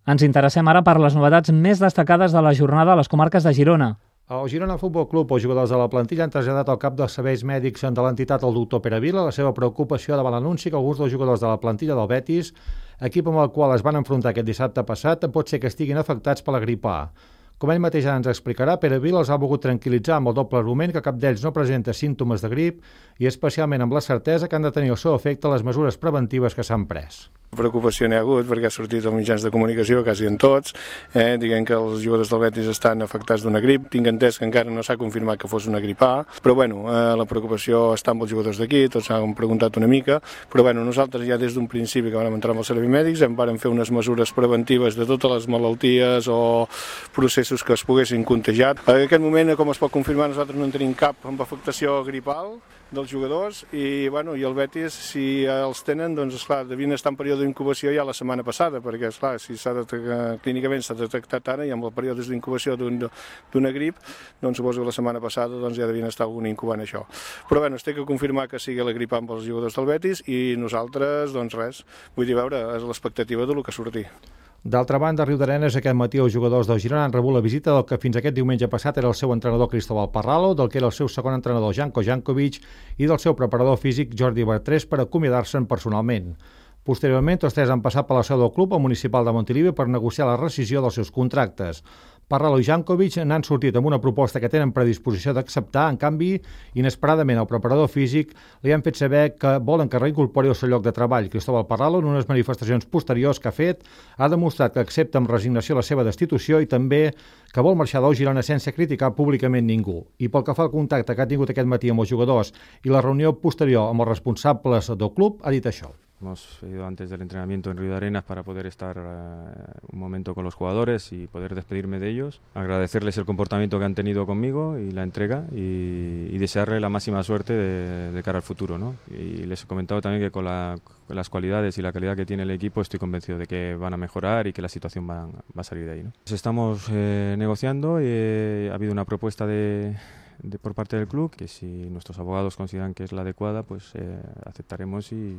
Ens interessem ara per les novetats més destacades de la jornada a les comarques de Girona. El Girona Futbol Club, els jugadors de la plantilla, han traslladat al cap dels serveis mèdics de l'entitat, el doctor Pere Vila, la seva preocupació davant l'anunci que alguns dels jugadors de la plantilla del Betis, equip amb el qual es van enfrontar aquest dissabte passat, pot ser que estiguin afectats per la grip A. Com ell mateix ens explicarà, Pere Vila els ha volgut tranquil·litzar amb el doble argument que cap d'ells no presenta símptomes de grip i especialment amb la certesa que han de tenir el seu efecte les mesures preventives que s'han pres. Preocupació n'hi ha hagut perquè ha sortit als mitjans de comunicació, quasi en tots, dient que els jugadors del Betis estan afectats d'una grip. Tinc entès que encara no s'ha confirmat que fos una grip A, però la preocupació està amb els jugadors d'aquí, tots han preguntat una mica, però nosaltres ja des d'un principi que vam entrar amb els serveis mèdics vam fer unes mesures preventives de totes les malalties o processos que es poguessin contagiar. En aquest moment, com es pot confirmar, nosaltres no en tenim cap amb afectació gripal dels jugadors i el Betis, si els tenen, doncs esclar, devien estar en període d'incubació ja la setmana passada, perquè esclar, si clínicament s'ha detectat ara i amb el període d'incubació d'una grip, doncs suposo que la setmana passada ja devien estar algun incubant això. Però es té que confirmar que sigui la grip amb els jugadors del Betis i nosaltres, doncs res, vull dir, és l'expectativa del que surti. D'altra banda, a Riudarenes aquest matí els jugadors del Girona han rebut la visita del que fins aquest diumenge passat era el seu entrenador Cristóbal Parralo, del que era el seu segon entrenador Janko Jankovic i del seu preparador físic Jordi Bertrés per acomiadar-se'n personalment. Posteriorment, tots tres han passat per la seu del club al municipal de Montilivi per negociar la rescissió dels seus contractes. Parralo i Jankovic n'han sortit amb una proposta que tenen predisposició d'acceptar. En canvi, inesperadament, el preparador físic li han fet saber que volen que reincorpori el seu lloc de treball. Cristóbal Parralo, en unes manifestacions posteriors que ha fet, ha demostrat que accepta amb resignació la seva destitució i també que vol marxar del Girona sense criticar públicament ningú. I pel que fa al contacte que ha tingut aquest matí amb els jugadors i la reunió posterior amb els responsables del club, ha dit això. Hemos ido antes del entrenamiento en Riudarenas para poder estar un momento con los jugadores y poder despedirme de ellos, agradecerles el comportamiento que han tenido conmigo y la entrega y desearle la máxima suerte de cara al futuro, ¿no? Y les he comentado también que con las cualidades y la calidad que tiene el equipo estoy convencido de que van a mejorar y que la situación va a salir de ahí, ¿no? Pues estamos negociando y ha habido una propuesta por parte del club, que si nuestros abogados consideran que es la adecuada, pues aceptaremos y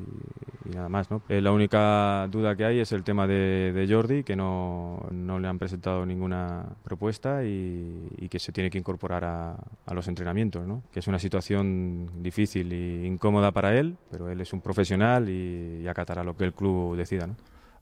nada más, ¿no? La única duda que hay es el tema de Jordi, que no le han presentado ninguna propuesta y que se tiene que incorporar a los entrenamientos, ¿no? Que es una situación difícil e incómoda para él, pero él es un profesional y acatará lo que el club decida, ¿no?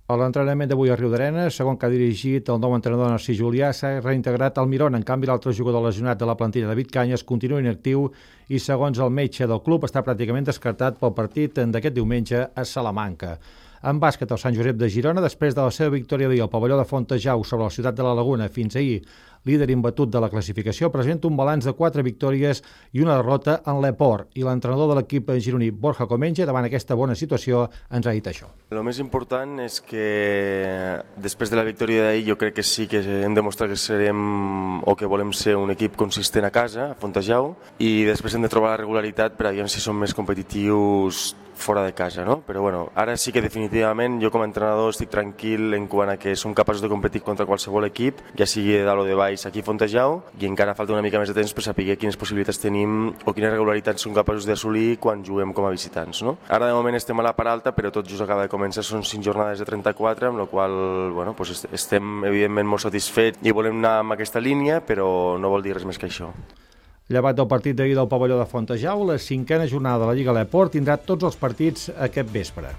A l'entrenament d'avui a Riudarenes, segon que ha dirigit el nou entrenador Narcís Julià, s'ha reintegrat al Mirona. En canvi, l'altre jugador lesionat de la plantilla, David Cañas, continua inactiu i, segons el metge del club, està pràcticament descartat pel partit d'aquest diumenge a Salamanca. En bàsquet, el Sant Josep de Girona, després de la seva victòria ahir al pavelló de Fontejau sobre la ciutat de la Laguna fins ahir, líder imbatut de la classificació, presenta un balanç de 4 victòries i una derrota en l'Eport. I l'entrenador de l'equip gironí, Borja Comenge, davant aquesta bona situació, ens ha dit això. El més important és que després de la victòria d'ahir jo crec que sí que hem demostrat que serem o que volem ser un equip consistent a casa, a Fontejau, i després hem de trobar la regularitat per a veure si som més competitius fora de casa, no? Però ara sí que definitivament jo com a entrenador estic tranquil en quant a que som capaços de competir contra qualsevol equip, ja sigui de dalt o de baix aquí a Fontejau, i encara falta una mica més de temps per saber quines possibilitats tenim o quines regularitats som capaços d'assolir quan juguem com a visitants, no? Ara de moment estem a la part alta, però tot just acaba de començar, són 5 jornades de 34, amb la qual estem evidentment molt satisfets i volem anar amb aquesta línia, però no vol dir res més que això. Llevat del partit d'ahir del pavelló de Fontejau, la 5a jornada de la Lliga L'Eport tindrà tots els partits aquest vespre.